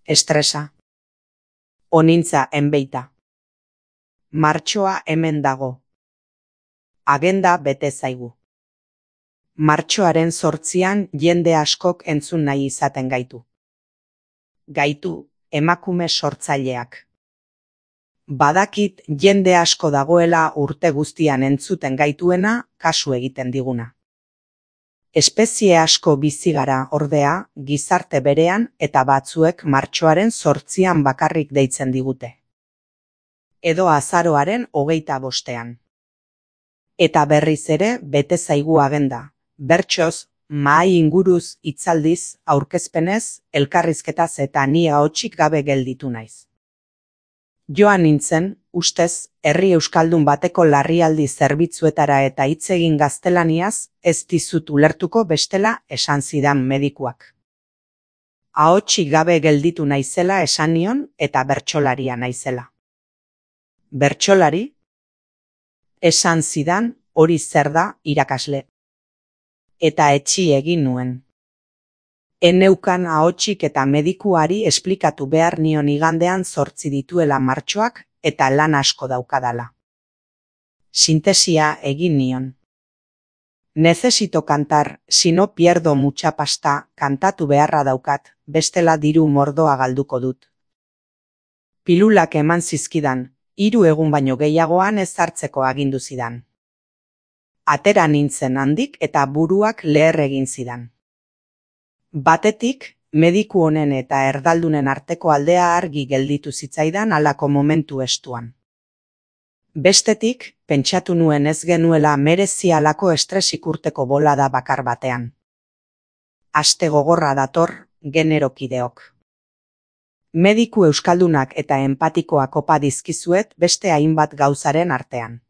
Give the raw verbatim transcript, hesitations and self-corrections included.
Estresa. Onintza enbeita. Martxoa hemen dago. Agenda bete zaigu. Martxoaren zortzian jende askok entzun nahi izaten gaitu. Gaitu, emakume sortzaileak. Badakit jende asko dagoela urte guztian entzuten gaituena kasu egiten diguna. Espezie asko bizi gara ordea, gizarte berean eta batzuek martxoaren zortzian bakarrik deitzen digute. Edo azaroaren hogeita bostean. Eta berriz ere bete zaigu agenda, bertsoz, mahai inguruz, hitzaldiz, aurkezpenez, elkarrizketaz eta ni ahotsik gabe gelditu naiz. Joan nintzen, ustez, herri euskaldun bateko larrialdi zerbitzuetara eta hitz egin gaztelaniaz, ez dizut ulertuko bestela esan zidan medikuak. Ahotsik gabe gelditu naizela esan nion eta bertsolaria naizela. Bertsolari? Esan zidan, hori zer da, irakasle. Eta etxi egin nuen. Eneukan ahotsik eta medikuari esplikatu behar nion igandean zortzi dituela martxoak eta lan asko daukadala. Sintesia egin nion. Necesito cantar, si no pierdo mucha pasta, kantatu beharra daukat, bestela diru mordoa galduko dut. Pilulak eman zizkidan, hiru egun baino gehiagoan ez hartzeko agindu zidan. Atera nintzen handik eta buruak leher egin zidan. Batetik, mediku honen eta erdaldunen arteko aldea argi gelditu zitzaidan halako momentu estuan. Bestetik, pentsatu nuen ez genuela merezi halako estresik urteko bolada bakar batean. Aste gogorra dator, generokideok. Mediku euskaldunak eta empatikoak opa dizkizuet beste hainbat gauzaren artean.